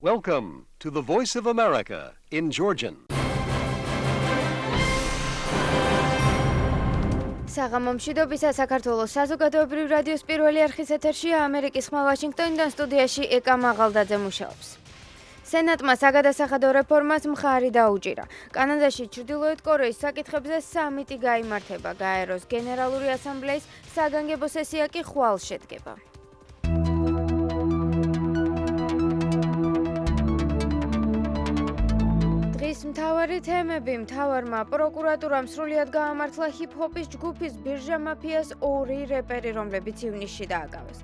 Welcome to the Voice of America in Georgian. საღამომშვიდობისა საქართველოს საზოგადოებრივ რადიოს პირველი არხის ეთერშია ამერიკის ხმა ვაშინგტონიდან სტუდიაში ეკა მაღალდაძე მუშაობს. სენატმა საგადასახადო რეფორმას მხარი დაუჭირა. კანადაში ჩრდილოეთ კორეის საკითხებზე სამიტი გაიმართება. გაეროს გენერალური ასამბლეის საგანგებო სესია კი ხვალ შედგება. მთავარი თემები. მთავარმა პროკურატურამ სრულიად გაამართლა ჰიპ-ჰოპის ჯგუფის ბირჟა მაფიას 2 რეპერი, რომლებიც ივნისში დააკავეს.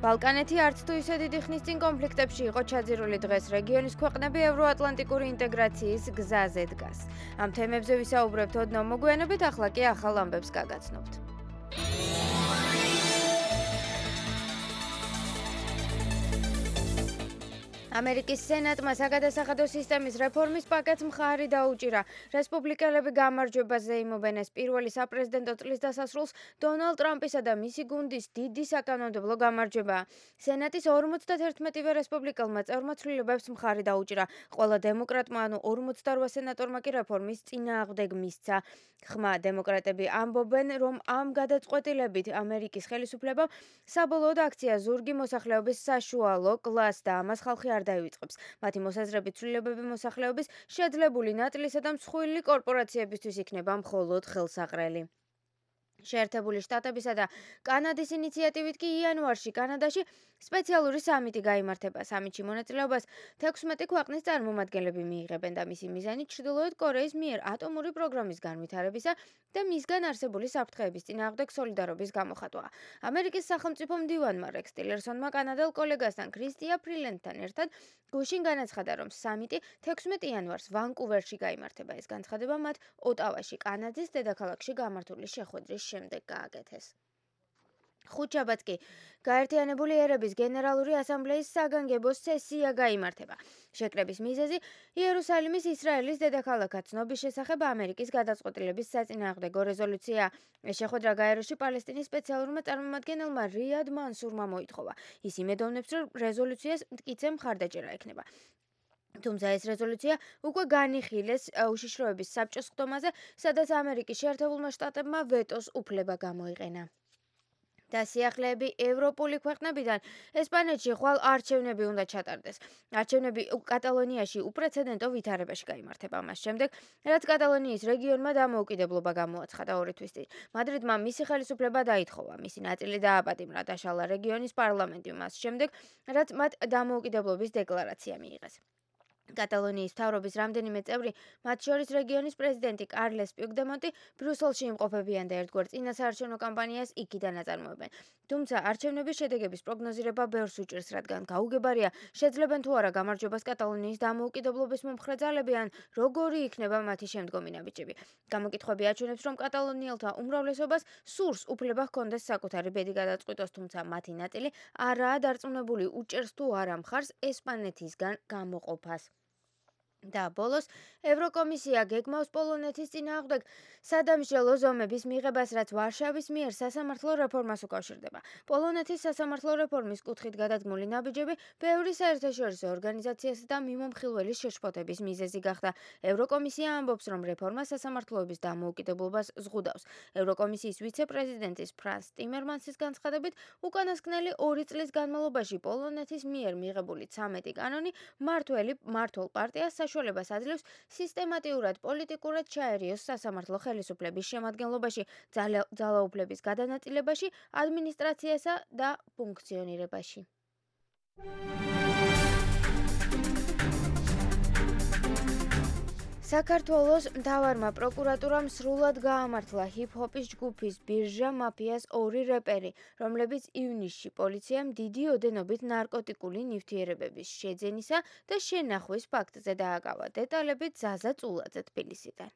ბალკანეთი არც თუ ისე დიდი ხნის წინ კონფლიქტებში იყო ჩაძირული, დღეს რეგიონის ქვეყნები ევროატლანტიკური ინტეგრაციის გზაზე დგას. ამ თემებზე ვისაუბრებთ ოდნავ მოგვიანებით, ახლა კი ახალ ამბებს გაგაცნობთ. ამერიკის სენატმა საგადასახადო სისტემის რეფორმის პაკეტს მხარი დაუჭირა. რესპუბლიკელები გამარჯვებაზე იმობენ ეს პირველი საპრეზიდენტო წლის დასასრულს დონალდ ტრამპისა და მისი გუნდის დიდი საკანონმდებლო გამარჯვებაა. სენატის 51-ვე რესპუბლიკელმა წევრმა ცვლილებებს მხარი დაუჭირა. ყველა დემოკრატმა, ანუ 48 სენატორმა კი რეფორმის წინააღმდეგ მისცა. ხმა დემოკრატები ამბობენ, რომ ამ გადაწყვეტილებით ამერიკის ხელისუფლებამ საბოლოოდ აქცია ზურგი მოსახლეობის საშუალო კლასს და ამას ხალხი არ დაივიწყებს. მათი მოსაზრებით ცვლილებები მოსახლეობის შეძლებული ნაწილისა და მსხვილი კორპორაციებისთვის იქნება მხოლოდ ხელსაყრელი. შეერთებული შტატებისა და კანადის ინიციატივით კი იანვარში კანადაში სპეციალური სამიტი გაიმართება. სამიტში მონაწილეობას 16 ქვეყნის წარმომადგენლები მიიღებენ და მისი მიზანი ჩრდილოეთ კორეის მიერ ატომური პროგრამის განვითარებისა და მისგან არსებული საფრთხეების წინააღმდეგ სოლიდარობის გამოხატვა. ამერიკის სახელმწიფო მდივანმა რექს ტილერსონმა კანადელ კოლეგასთან ქრისტია ფრილენდთან ერთად გუშინ განაცხადა, რომ სამიტი 16 იანვარს ვანკუვერში გაიმართება. ეს განცხადება მათ ოტავაში, კანადის დედაქალაქში გამართული შეხვედრის შემდეგ გააკეთეს. ხუთშაბათს კი გაერთიანებული ერების გენერალური ასამბლეის საგანგებო სესია გაიმართება. შეკრების მიზეზი იერუსალიმის ისრაელის დედაქალაქად ცნობის შესახებ ამერიკის გადაწყვეტილების საწინააღმდეგო რეზოლუცია. ეს შეხვედრა გაეროში პალესტინის სპეციალურმა წარმომადგენელმა რიად მანსურმა მოითხოვა. ის იმედოვნებს, რომ რეზოლუციას მტკიცე მხარდაჭერა ექნება. თუმცა ეს რეზოლუცია უკვე განიხილეს უშიშროების საბჭოს ხდომაზე, სადაც ამერიკის შეერთებულმა შტატებმა ვეტოს უფლება გამოიყენა. დასიახლეები ევროპული ქვეყნებიდან ესპანეთში ხვალ არჩევნები უნდა ჩატარდეს. არჩევნები კატალონიაში უპრეცედენტო ვითარებაში გაიმართება მას შემდეგ, რაც კატალონიის რეგიონმა დამოუკიდებლობა გამოაცხადა 2 თვის წინ. მადრიდმა მისი ხელისუფლება დაითხოვა, მისი ნაწილი დააპატიმრა, დაშალა რეგიონის პარლამენტი მას შემდეგ, რაც მათ დამოუკიდებლობის დეკლარაცია მიიღეს. კატალონიის მთავრობის რამდენიმე წევრი, მათ შორის რეგიონის პრეზიდენტი კარლეს პიუგდემონტი, ბრიუსელში იმყოფებიან და ერთგვარ წინასაარჩევნო კამპანიას იქიდან აწარმოებენ. თუმცა არჩევნების შედეგების პროგნოზირება ბევრს უჭირს, რადგან გაუგებარია, შეძლებენ თუ არა გამარჯვებას კატალონიის დამოუკიდებლობის მომხრე ძალები ან როგორი იქნება მათი შემდგომი ნაბიჯები. გამოკითხვები აჩვენებს, რომ კატალონიელთა უმრავლესობას სურს უფლება ჰქონდეს საკუთარი ბედი გადაწყვიტოს, თუმცა მათი ნაწილი არაა დარწმუნებული, უჭერს თუ არა მხარს ესპანეთისგან გამოყოფას. და ბოლოს ევროკომისია გეგმავს პოლონეთის წინააღმდეგ სადამსჯელო ზომების მიღებას, რაც ვარშავის მიერ სასამართლო რეფორმას უკავშირდება. პოლონეთის სასამართლო რეფორმის კუთხით გადადგმული ნაბიჯები ბევრი საერთაშორისო ორგანიზაციასა და მიმომხილველის შეშფოთების მიზეზი გახდა. ევროკომისია ამბობს, რომ რეფორმა სასამართლოების დამოუკიდებლობას ზღუდავს. ევროკომისიის ვიცე-პრეზიდენტის ფრანს ტიმერმანსის განცხადებით, უკანასკნელი 2 წლის განმავლობაში პოლონეთის მიერ მიღებული 13 კანონი მმართველ პარტიას საშუალებას აძლევს სისტემატიურად პოლიტიკურად ჩაერიოს სასამართლო ხელისუფლების შემადგენლობაში, ძალაუფლების გადანაწილებაში, ადმინისტრაციასა და ფუნქციონირებაში. საქართველოს მთავარმა პროკურატურამ სრულად გაამართლა ჰიპ-ჰოპის ჯგუფის ბირჟა მაფიას 2 რეპერი, რომლებიც ივნისში პოლიციამ დიდი ოდენობით ნარკოტიკული ნივთიერებების შეძენისა და შენახვის ფაქტზე დააკავა. დეტალები ზაზა წულაძე თბილისიდან.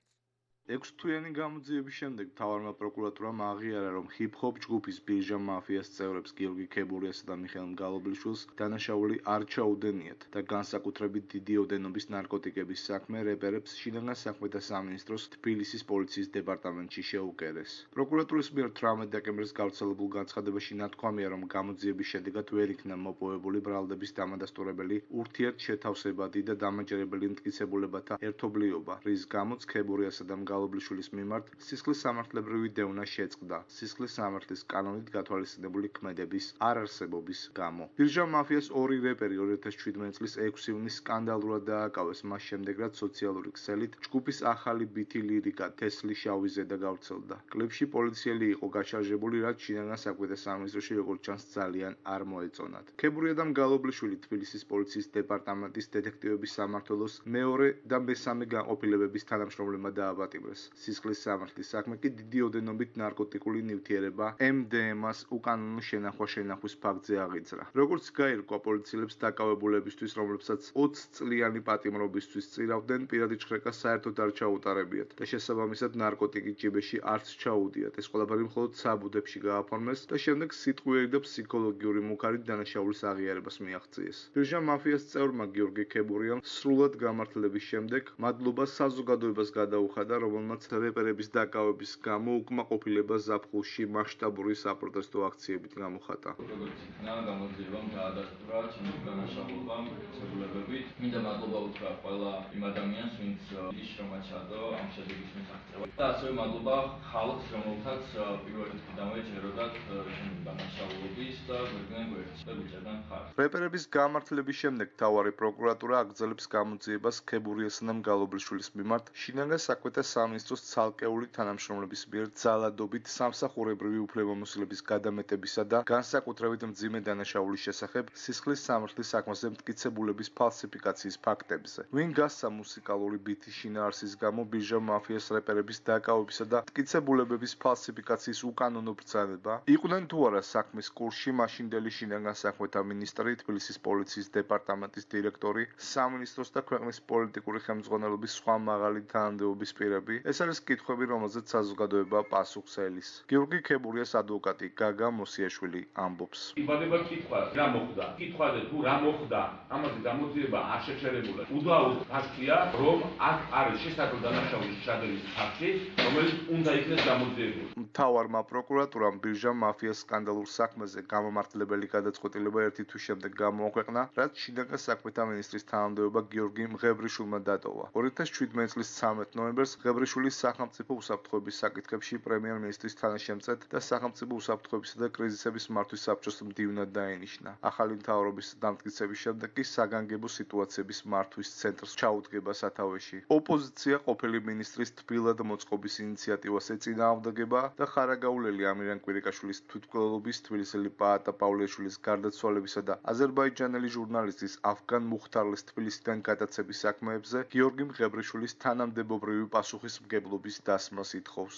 6 თვიანი გამოძიების შემდეგ მთავარმა პროკურატურამ აღიარა, რომ ჰიპ-ჰოპ ჯგუფის ბირჟა მაფიას წევრებს გიორგი ქებურიასა და მიხეილ მგალობლიშვილს დანაშაული არ ჩაუდენიათ და განსაკუთრებით დიდი ოდენობის ნარკოტიკების საქმე რეპერებს შინაგან საქმეთა სამინისტროს თბილისის პოლიციის დეპარტამენტში შეუკერეს. პროკურატურის მიერ 18 დეკემბრის გავრცელებულ განცხადებაში ნათქვამია, რომ გამოძიების შედეგად ვერ იქნა მოპოვებული ბრალდების დამადასტურებელი ურთიერთშეთავსებადი და დამაჯერებელი მტკიცებულებათა ერთობლიობა, რის გამოც ქებურიასა და მგალობლიშვილის მიმართ სისხლის სამართლებრივი დევნა შეწყდა სისხლის სამართლის კანონით გათვალისწინებული ქმედების არარსებობის გამო. ბირჟა მაფიას ორი რეპერი 2017 წლის 6 ივნისს სკანდალურად დააკავეს, მას შემდეგ რაც სოციალური ქსელით ჯგუფის ახალი ბითი ლირიკა თესლი შავი ზედა გავრცელდა. კლიპში პოლიციელი იყო გაშარჟებული, რაც შინაგან საქმეთა სამინისტროში როგორც ჩანს ძალიან არ მოეწონათ. ქებურია და მგალობლიშვილი თბილისის პოლიციის დეპარტამენტის დეტექტივების სამმართველოს მეორე და მესამე განყოფილებების თანამშრომლებმა დააპატიმრეს. სისხლის სამართლის საქმე კი დიდი ოდენობით ნარკოტიკული ნივთიერება MDMA-ს უკანონო შენახვა-შენახვის ფაქტზე აღიძრა. როგორც გაირკვა პოლიციელებს დაკავებულებისთვის, რომლებსაც 20 წლიანი პატიმრობისთვის წირავდნენ, პირადი ჭხრეკა საერთოდ არ ჩაუტარებიათ და შესაბამისად ნარკოტიკი ჯიბეში არც ჩაუდიათ. ეს ყველაფერი მხოლოდ საბუდებში გააფორმეს და შემდეგ სიტყვიერი და ფსიქოლოგიური მუქარით დანაშაულის აღიარებას მიაღწიეს. ბირჟა მაფიას წევრმა გიორგი ქებურიამ სრულად გამართლების შემდეგ მადლობა საზოგადოებას გადაუხადა, რომელმაც რეპერების დაკავების გამო უკმაყოფილება ზაფხულში მასშტაბური საპროტესტო აქციებით გამოხატა. როგორც იქნა გამოძიებამ დაადასტურა ჩემი განაშაულობამ ცებულებებით. მინდა მადლობა უთხრა ყველა იმ ადამიანს, ვინც ის შრომა ჩადო ამ შედეგის მისაღწევად. და ასევე მადლობა ხალხს, რომელთაც პირველ რიგიდანვე ჯეროდათ ჩემი განაშაულობის და გვერდიდან გვერდს და ვიჭერდნენ ხარს. რეპერების გამართლების შემდეგ მთავარი პროკურატურა აგრძელებს გამოძიებას ქებურიასა და მგალობლიშვილის მიმართ შინაგან საქმეთა სამინისტროს ცალკეული თანამშრომლების მიერ ძალადობით სამსახურებრივი უფლებამოსილების გადამეტებისა და განსაკუთრებით მძიმე დანაშაულის შესახებ სისხლის სამართლის საქმეზე მტკიცებულების ფალსიფიკაციის ფაქტებზე. ვინ გასცა მუსიკალური ბითის შინაარსის გამო ბირჟა მაფიას რეპერების დაკავებისა და მტკიცებულებების ფალსიფიკაციის უკანონო ბრძანება? იყვნენ თუ არა საქმის კურსში მაშინდელი შინაგან საქმეთა მინისტრი, თბილისის პოლიციის დეპარტამენტის დირექტორი, სამინისტროს და ქვეყნის პოლიტიკური ხელმძღვანელობის სხვა მაღალი თანამდებობის პირები? ეს არის კითხვები, რომელზეც საზოგადოება პასუხს ელის. გიორგი ქებურიას ადვოკატი გაგა მოსიაშვილი ამბობს. იბადება კითხვა, რა მოხდა? კითხვაზე თუ რა მოხდა, ამაზე გამოძიება არ შეჩერებულა. უდაოდ ფაქტია, რომ აქ არის შესაძლო დანაშაულის ჩადენის ფაქტი, რომელიც უნდა იქნეს გამოძიებული. მთავარმა პროკურატურამ ბირჟა მაფიას სკანდალურ საქმეზე გამომართლებელი გადაწყვეტილება ერთი თვის შემდეგ გამოაქვეყნა, რაც შინაგან საქმეთა მინისტრის თანამდებობა გიორგი მღებრიშვილმა დატოვა. 2017 წლის 13 ნოემბერს მღებრიშვილის სახელმწიფო უსაფრთხოების საკითხებში პრემიერ-მინისტრის თანაშემწედ და სახელმწიფო უსაფრთხოებისა და კრიზისების მართვის საბჭოს მდივნად დაენიშნა. ახალი მთავრობის დამტკიცების შემდეგ კი საგანგებო სიტუაციების მართვის ცენტრს ჩაუდგება სათავეში. ოპოზიცია ყოფილი მინისტრის თბილად მოწყობის ინიციატივას ეწინააღმდეგება და ხარაგაულელი ამირან კვირიკაშვილის თვითმკვლელობის, თბილისელი პაატა პავლეშვილის გარდაცვალებისა და აზერბაიჯანელი ჟურნალისტის ავგან მუხთარლის თბილისიდან გადაცების საქმეებზე გიორგი მღებრიშვილის თანამდებობრივი პასუხისმგებლობის დასმას ითხოვს.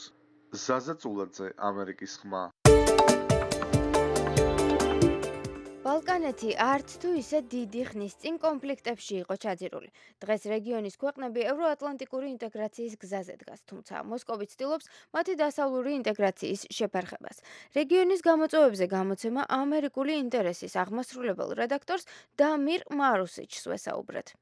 ზაზა წულაძე, ამერიკის ხმა. ბალკანეთი არც თუ ისე დიდი ხნის წინ კონფლიქტებში იყო ჩაძირული. დღეს რეგიონის ქვეყნები ევროატლანტიკური ინტეგრაციის გზაზე დგას, თუმცა მოსკოვი ცდილობს მათი დასავლური ინტეგრაციის შეფერხებას. რეგიონის გამოწვევებზე გამოცემა ამერიკული ინტერესის აღმასრულებელ რედაქტორს დამირ მარუსიჩს ვესაუბრეთ.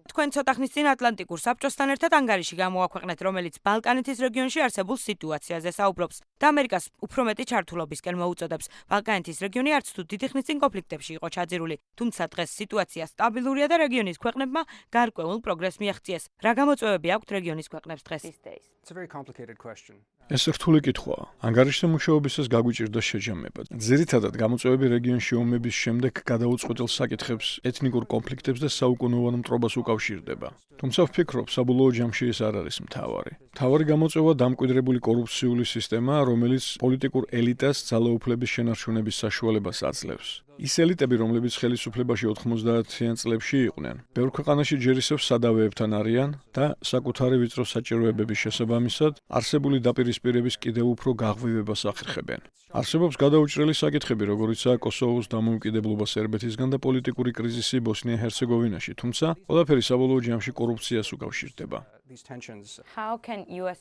თქვენ ცოტა ხნის წინ ატლანტიკურ საბჭოსთან ერთად ანგარიში გამოაქვეყნეთ, რომელიც ბალკანეთის რეგიონში არსებულ სიტუაციაზე საუბრობს და ამერიკას უფრო მეტი ჩართულობისკენ მოუწოდებს. ბალკანეთის რეგიონი არც თუ დიდი ხნის წინ კონფლიქტებში იყო ჩაძირული, თუმცა დღეს სიტუაცია სტაბილურია და რეგიონის ქვეყნებმა გარკვეულ პროგრესს მიაღწიეს. რა გამოწვევები აქვთ რეგიონის ქვეყნებს დღეს? ეს რთული კითხვაა. ანგარიშზე მუშაობისას გაგვიჭირდა შეჯამება. ძირითადად გამოწვევები რეგიონში ომების შემდეგ გადაუწყვეტილ საკითხებს, ეთნიკურ კონფლიქტებს და საუკუნოვან მტრობას უკავშირდება. თუმცა ვფიქრობ, საბოლოო ჯამში ეს არ არის მთავარი. მთავარი გამოწვევა დამკვიდრებული კორუფციული სისტემაა, რომელიც პოლიტიკურ ელიტას ძალაუფლების შენარჩუნების საშუალებას აძლევს. ის ელიტები, რომლებიც ხელისუფლებაში 90-იან წლებში იყვნენ, ბევრ ქვეყანაში ჯერ ისევ სადავეებთან არიან და საკუთარი ვიწრო საჭიროებების შესაბამისად არსებული დაპირისპირების კიდევ უფრო გაღვივებას ახერხებენ. არსებობს გადაუჭრელი საკითხები, როგორიცაა კოსოვოს დამოუკიდებლობა სერბეთისგან და პოლიტიკური კრიზისი ბოსნია-ჰერცეგოვინაში, თუმცა ყველაფერი საბოლოო ჯამში კორუფციას უკავშირდება.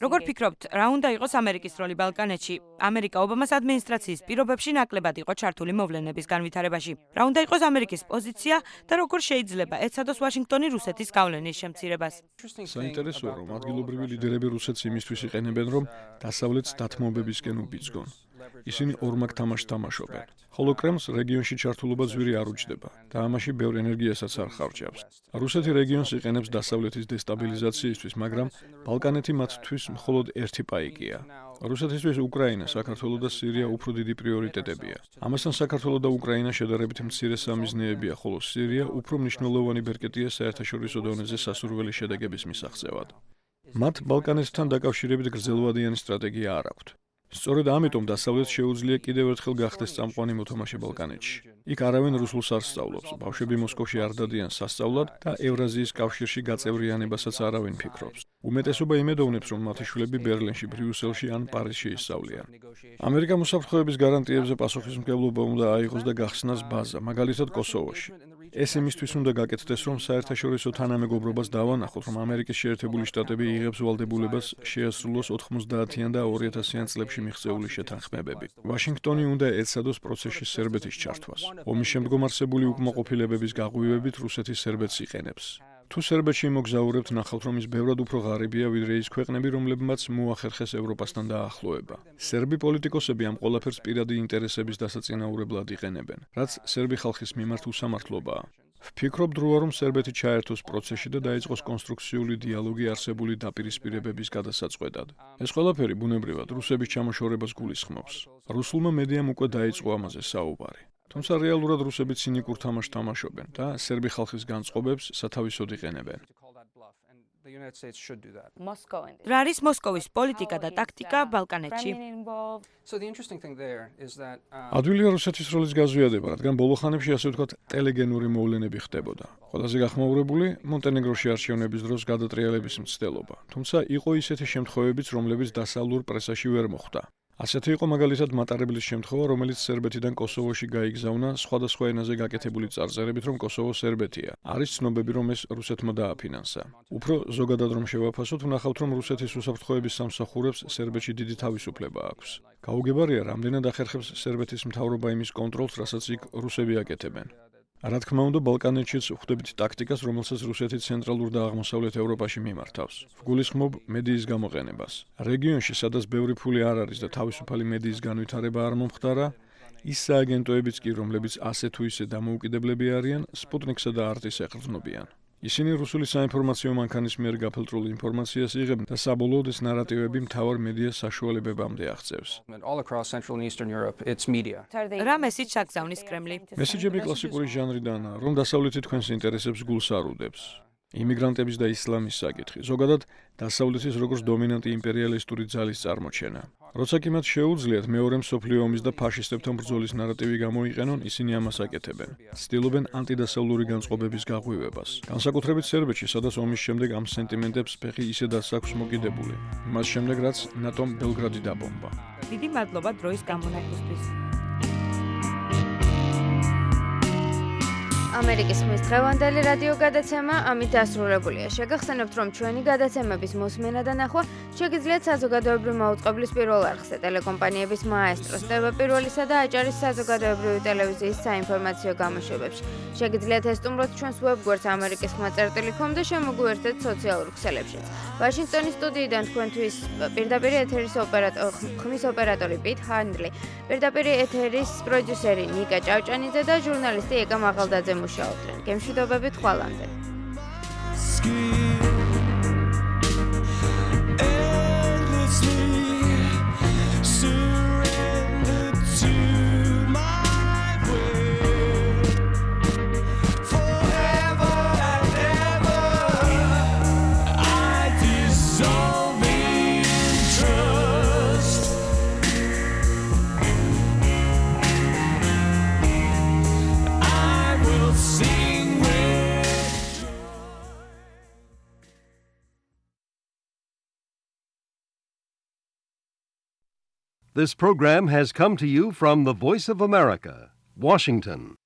როგორ ფიქრობთ, რა უნდა იყოს ამერიკის როლი ბალკანეთში? ამერიკა ობამას ადმინისტრაციის პირობებში ნაკლებად იყო ჩართული მოვლენების განვითარებაში. რა უნდა იყოს ამერიკის პოზიცია და როგორ შეიძლება ეცადოს ვაშინგტონი რუსეთის გავლენის შემცირებას? საინტერესოა, რომ ადგილობრივი ლიდერები რუსეთს იმისთვის იყენებენ, რომ დასავლეთს დათმობებისკენ უბიძგონ. ისინი ორმაგ თამაშს თამაშობენ. ხოლო კრემლს რეგიონში ჩართულობა ძვირი არ უჯდება და ამაში ბევრ ენერგიასაც არ ხარჯავს. რუსეთი რეგიონს იყენებს დასავლეთის დესტაბილიზაციისთვის, მაგრამ ბალკანეთი მათთვის მხოლოდ ერთი პაიკია. რუსეთისთვის უკრაინა, საქართველო და სირია უფრო დიდი პრიორიტეტებია. ამასთან საქართველო და უკრაინა შედარებით მცირე სამიზნეებია, ხოლო სირია უფრო მნიშვნელოვანი ბერკეტია საერთაშორისო დონეზე სასურველი შედეგების მისაღწევად. მათ ბალკანეთთან დაკავშირებით გრძელვადიანი სტრატეგია არ აქვთ. სწორედ ამიტომ დასავლეთს შეუძლია კიდევ ერთხელ გახდეს წამყვანი მოთამაშე ბალკანეთში. იქ არავინ რუსულს არ სწავლობს, ბავშვები მოსკოვში არ დადიან სასწავლად და ევრაზიის კავშირში გაწევრიანებასაც არავინ ფიქრობს. უმეტესობა იმედოვნებს, რომ მათი შვილები ბერლინში, ბრიუსელში ან პარიზში ისწავლიან. ამერიკამ უსაფრთხოების გარანტიებზე პასუხისმგებლობა უნდა აიღოს და გახსნას ბაზა, მაგალითად კოსოვოში. ეს იმისთვის უნდა გაკეთდეს, რომ საერთაშორისო თანამეგობრობას დავანახოთ, რომ ამერიკის შეერთებული შტატები იღებს ვალდებულებას შეასრულოს 90-იან და 2000-იან წლებში მიღწეული შეთანხმებები. ვაშინგტონი უნდა ეცადოს პროცესში სერბეთის ჩართვას. ომის შემდგომ არსებული უკმაყოფილებების გაღვივებით რუსეთი სერბეთს იყენებს. თუ სერბეთში მოგზაურებთ, ნახავთ, რომ ის ბევრად უფრო ღარიბია, ვიდრე ის ქვეყნები, რომლებმაც მოახერხეს ევროპასთან დაახლოება. სერბი პოლიტიკოსები ამ ყველაფერს პირადი ინტერესების დასაწინაურებლად იყენებენ, რაც სერბი ხალხის მიმართ უსამართლობაა. ვფიქრობ დროა, რომ სერბეთი ჩაერთოს პროცესში და დაიწყოს კონსტრუქციული დიალოგი არსებული დაპირისპირებების გადასაწყვეტად. ეს ყველაფერი ბუნებრივად რუსების ჩამოშორებას გულისხმობს. რუსულმა მედიამ უკვე დაიწყო ამაზე საუბარი. თუმცა რეალურად რუსები ცინიკურ თამაშს თამაშობენ და სერბი ხალხის განწყობებს სათავისოდ იყენებენ. რა არის მოსკოვის პოლიტიკა და ტაქტიკა ბალკანეთში? ადვილია რუსეთის როლის გაზვიადება, რადგან ბოლო ხანებში ასე ვთქვათ ტელეგენური მოვლენები ხდებოდა. ყველაზე გახმაურებული მონტენეგროში არჩევნების დროს გადატრიალების მცდელობა. თუმცა იყო ისეთი შემთხვევებიც, რომლებიც დასავლურ პრესაში ვერ მოხვდა. ასეთი იყო მაგალითად მატარებლის შემთხვევა, რომელიც სერბეთიდან კოსოვოში გაიგზავნა სხვადასხვა ენაზე გაკეთებული წარწერებით, რომ კოსოვო სერბეთია. არის ცნობები, რომ ეს რუსეთმა დააფინანსა. უფრო ზოგადად რომ შევაფასოთ, ვნახავთ, რომ რუსეთის უსაფრთხოების სამსახურებს სერბეთში დიდი თავისუფლება აქვს. გაუგებარია, რამდენად ახერხებს სერბეთის მთავრობა იმის კონტროლს, რასაც იქ რუსები აკეთებენ. რა თქმა უნდა, ბალკანეთშიც ვხვდებით ტაქტიკას, რომელსაც რუსეთი ცენტრალურ და აღმოსავლეთ ევროპაში მიმართავს. ვგულისხმობ მედიის გამოყენებას. რეგიონში, სადაც ბევრი ფული არ არის და თავისუფალი მედიის განვითარება არ მომხდარა, ის სააგენტოებიც კი, რომლებიც ასე თუ ისე დამოუკიდებლები არიან, სპუტნიკსა და არტის ეყრდნობიან. ისინი რუსული საინფორმაციო მანქანის მიერ გაფილტრულ ინფორმაციას იღებენ და საბოლოოდ ეს ნარატივები მთავარ მედიას საშუალებებამდე აღწევს. რა მესიჯს აგზავნის კრემლი? მესიჯები კლასიკური ჟანრიდანაა, რომ დასავლეთი თქვენს ინტერესებს გულს არ უდებს. იმიგრანტების და ისლამის საკითხი, ზოგადად დასავლეთის როგორც დომინანტი იმპერიალისტური ძალის წარმოჩენა. როცა კი მათ შეუძლიათ მეორე მსოფლიო ომის და ფაშისტებთან ბრძოლის ნარატივი გამოიყენონ, ისინი ამას აკეთებენ. ცდილობენ ანტიდასავლური განწყობების გაღვივებას. განსაკუთრებით სერბეთში, სადაც ომის შემდეგ ამ სენტიმენტებს ფეხი ისედაც აქვს მოკიდებული. მას შემდეგ, რაც ნატომ ბელგრადი დაბომბა. დიდი მადლობა დროის გამონაკლისთვის. ამერიკის ხმის დღევანდელი რადიო გადაცემა ამით დასრულებულია. შეგახსენებთ, რომ ჩვენი გადაცემების მოსმენა და ნახვა შეგიძლიათ საზოგადოებრივი მაუწყებლის პირველ არხზე, ტელეკომპანიების მაესტროს, TV1-სა და აჭარის საზოგადოებრივი ტელევიზიის საინფორმაციო გამოშვებებში. შეგიძლიათ ესტუმროთ ჩვენს ვებგვერდს amerikisxma.com და შემოგვიერთდეთ სოციალურ ქსელებშიც. ვაშინგტონის სტუდიიდან თქვენთვის პირდაპირ ეთერის ხმის ოპერატორი პიტ ჰანდლი, პირდაპირ ეთერის პროდიუსერი ნიკა ჭავჭანიძე და ჟურნალისტი ეკა მაღალდაძე მუშაობდნენ. გემშვიდობებით ხვალამდე. This program has come to you from the Voice of America, Washington.